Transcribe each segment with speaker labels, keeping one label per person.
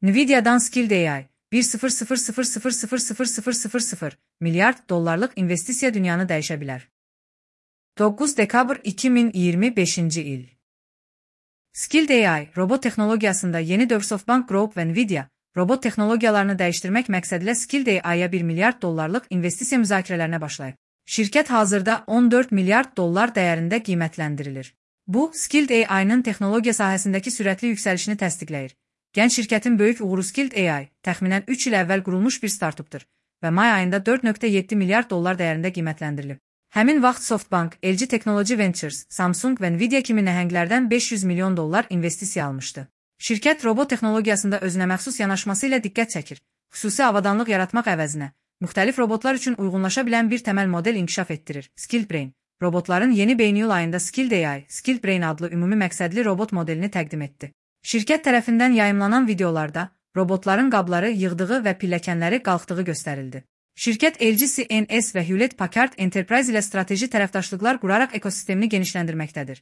Speaker 1: Nvidia'dan Skilled AI, 1,000,000,000 milyard dollarlıq investisiya dünyanı dəyişə bilər. 9 dekabr 2025 il. Skilled AI, robot texnologiyasında yeni dövr. SoftBank Group və Nvidia, robot texnologiyalarını dəyişdirmək məqsədilə Skilled AI-ya 1 milyard dollarlıq investisiya müzakirələrinə başlayıb. Şirkət hazırda 14 milyard dollar dəyərində qiymətləndirilir. Bu, Skilled AI-nın texnologiya sahəsindəki sürətli yüksəlişini təsdiqləyir. Gənc şirkətin böyük uğuru Skilled AI, təxminən 3 il əvvəl qurulmuş bir startupdur və may ayında 4,7 milyard dollar dəyərində qiymətləndirilib. Həmin vaxt SoftBank, LG Technology Ventures, Samsung və Nvidia kimi nəhənglərdən 500 milyon dollar investisiya almışdı. Şirkət robot texnologiyasında özünəməxsus yanaşması ilə diqqət çəkir, xüsusi avadanlıq yaratmaq əvəzinə, müxtəlif robotlar üçün uyğunlaşa bilən bir təməl model inkişaf etdirir. Skilled Brain, robotların yeni beyniyul ayında Skilled AI, Skilled Brain adlı ümumi məqsədli robot modelini təqdim etdi. Şirkət tərəfindən yayımlanan videolarda robotların qabları yığdığı və pilləkənləri qalxdığı göstərildi. Şirkət LG CNS və Hewlett Packard Enterprise ilə strateji tərəfdaşlıqlar quraraq ekosistemini genişləndirməkdədir.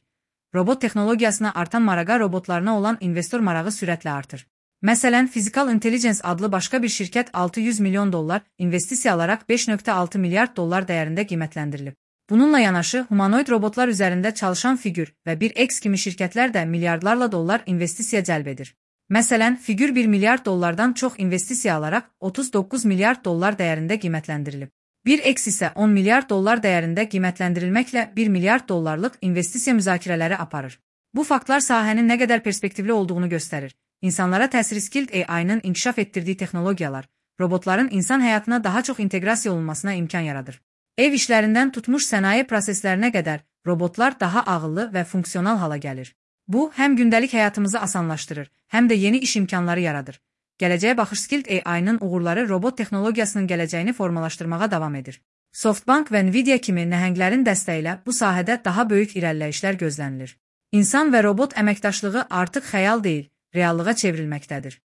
Speaker 1: Robot texnologiyasına artan marağa robotlarına olan investor marağı sürətlə artır. Məsələn, Physical Intelligence adlı başqa bir şirkət 600 milyon dollar investisiya alaraq 5,6 milyard dollar dəyərində qiymətləndirilib. Bununla yanaşı, humanoid robotlar üzərində çalışan Figure və 1X kimi şirkətlər də milyardlarla dollar investisiya cəlb edir. Məsələn, Figure 1 milyard dollardan çox investisiya alaraq 39 milyard dollar dəyərində qiymətləndirilib. 1X isə 10 milyard dollar dəyərində qiymətləndirilməklə 1 milyard dollarlıq investisiya müzakirələri aparır. Bu faktlar sahənin nə qədər perspektivli olduğunu göstərir. İnsanlara təsiri Skilled AI-nın inkişaf etdirdiyi texnologiyalar, robotların insan həyatına daha çox inteqrasiya olunmasına imkan yaradır. Ev işlərindən tutmuş sənaye proseslərinə qədər robotlar daha ağıllı və funksional hala gəlir. Bu, həm gündəlik həyatımızı asanlaşdırır, həm də yeni iş imkanları yaradır. Gələcəyə baxış Skilled AI-nın uğurları robot texnologiyasının gələcəyini formalaşdırmağa davam edir. SoftBank və Nvidia kimi nəhənglərin dəstəyi ilə bu sahədə daha böyük irəliləyişlər gözlənilir. İnsan və robot əməkdaşlığı artıq xəyal deyil, reallığa çevrilməkdədir.